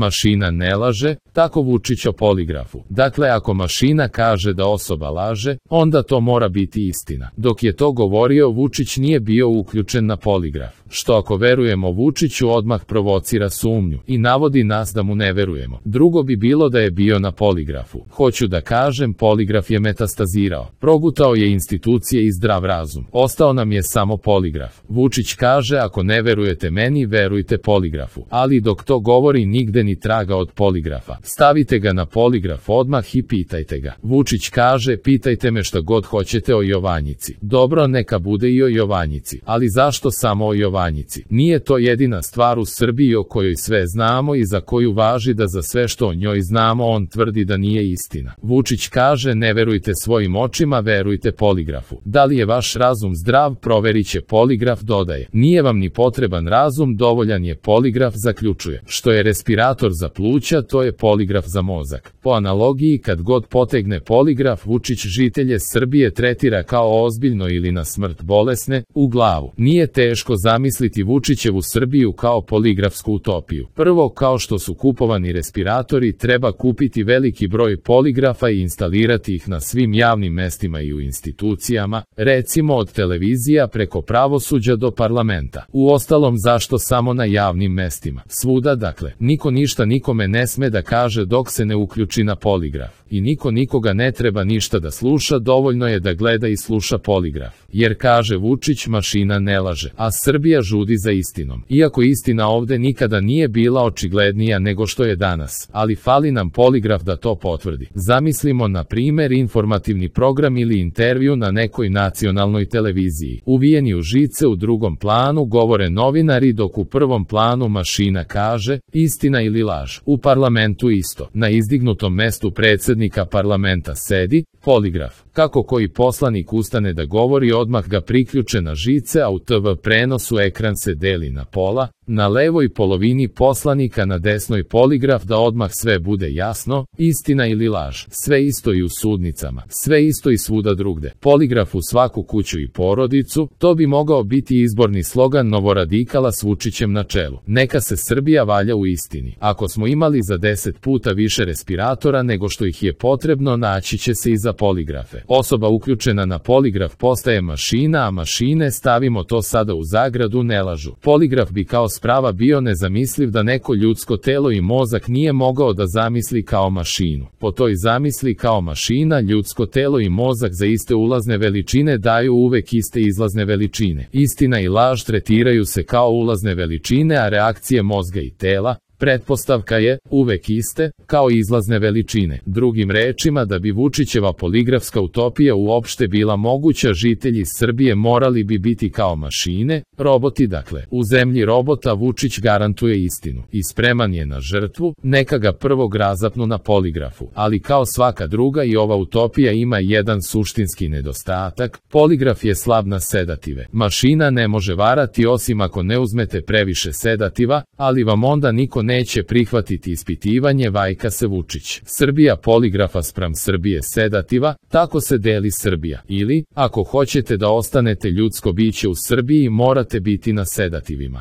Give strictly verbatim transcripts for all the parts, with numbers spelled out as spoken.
Mašina ne laže, tako Vučić o poligrafu. Dakle, ako mašina kaže da osoba laže, onda to mora biti istina. Dok je to govorio, Vučić nije bio uključen na poligraf, što ako verujemo Vučiću odmah provocira sumnju i navodi nas da mu ne verujemo. Drugo bi bilo da je bio na poligrafu. Hoću da kažem, poligraf je metastazirao. Progutao je institucije i zdrav razum. Ostao nam je samo poligraf. Vučić kaže, ako ne verujete meni, verujte poligrafu. Ali dok to govori, nigde ni traga od poligrafa. Stavite ga na poligraf odmah i pitajte ga. Vučić kaže, pitajte me šta god hoćete o Jovanjici. Dobro, neka bude i o Jovanjici. Ali zašto samo o Jovanjici? Nije to jedina stvar u Srbiji o kojoj sve znamo i za koju važi da za sve što o njoj znamo on tvrdi da nije istina. Vučić kaže, ne verujte svojim očima, verujte poligrafu. Da li je vaš razum zdrav, proverit će poligraf, dodaje. Nije vam ni potreban razum, dovoljan je poligraf, zaključuje. Što je respirator za pluća, to je poligraf za mozak. Po analogiji, kad god potegne poligraf, Vučić žitelje Srbije tretira kao ozbiljno ili na smrt bolesne, u glavu. Nije teško zamisliti Vučićevu Srbiju kao poligrafsku utopiju. Prvo, kao što su kupovani respiratori, treba kupiti veliki broj poligrafa i instalirati ih na svim javnim mestima i u institucijama, recimo od televizija preko pravosuđa do parlamenta. Uostalom, zašto samo na javnim mestima? Svuda, dakle. Niko ništa nikome ne sme da kaže dok se ne uključi na poligraf. I niko nikoga ne treba ništa da sluša, dovoljno je da gleda i sluša poligraf. Jer kaže Vučić, mašina ne laže, a Srbija žudi za istinom. Iako istina ovde nikada nije bila očiglednija nego što je danas, ali fali nam poligraf da to potvrdi. Zamislimo na primer informativni program ili intervju na nekoj nacionalnoj televiziji. Uvijeni u žice, u drugom planu govore novinari, dok u prvom planu mašina kaže istina ili laž. U parlamentu isto. Na izdignutom mestu predsednika parlamenta sedi poligraf. Kako koji poslanik ustane da govori, odmah ga priključe na žice, a u te ve prenosu ekran se deli na pola, na levoj polovini poslanika, na desnoj poligraf, da odmah sve bude jasno, istina ili laž. Sve isto i u sudnicama, sve isto i svuda drugde. Poligraf u svaku kuću i porodicu, to bi mogao biti izborni slogan novoradikala s Vučićem na čelu. Neka se Srbija valja u istini. Ako smo imali za deset puta više respiratora nego što ih je potrebno, naći će se i za poligrafe. Osoba uključena na poligraf postaje mašina, a mašine, stavimo to sada u zagradu, ne lažu. Poligraf bi kao sprava bio nezamisliv da neko ljudsko telo i mozak nije mogao da zamisli kao mašinu. Po toj zamisli kao mašina, ljudsko telo i mozak za iste ulazne veličine daju uvek iste izlazne veličine. Istina i laž tretiraju se kao ulazne veličine, a reakcije mozga i tela, pretpostavka je, uvek iste, kao izlazne veličine. Drugim rečima, da bi Vučićeva poligrafska utopija uopšte bila moguća, žitelji Srbije morali bi biti kao mašine, roboti dakle. U zemlji robota Vučić garantuje istinu i spreman je na žrtvu, neka ga prvog razapnu na poligrafu. Ali kao svaka druga, i ova utopija ima jedan suštinski nedostatak, poligraf je slab na sedative. Mašina ne može varati osim ako ne uzmete previše sedativa, ali vam onda niko neće prihvatiti ispitivanje, vajka se Vučić. Srbija poligrafa spram Srbije sedativa, tako se deli Srbija. Ili, ako hoćete da ostanete ljudsko biće u Srbiji, morate biti na sedativima.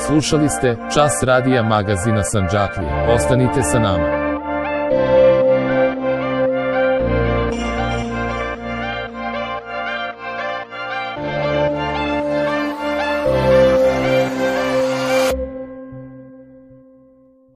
Slušali ste Čas radija magazina Sandžaklija. Ostanite sa nama.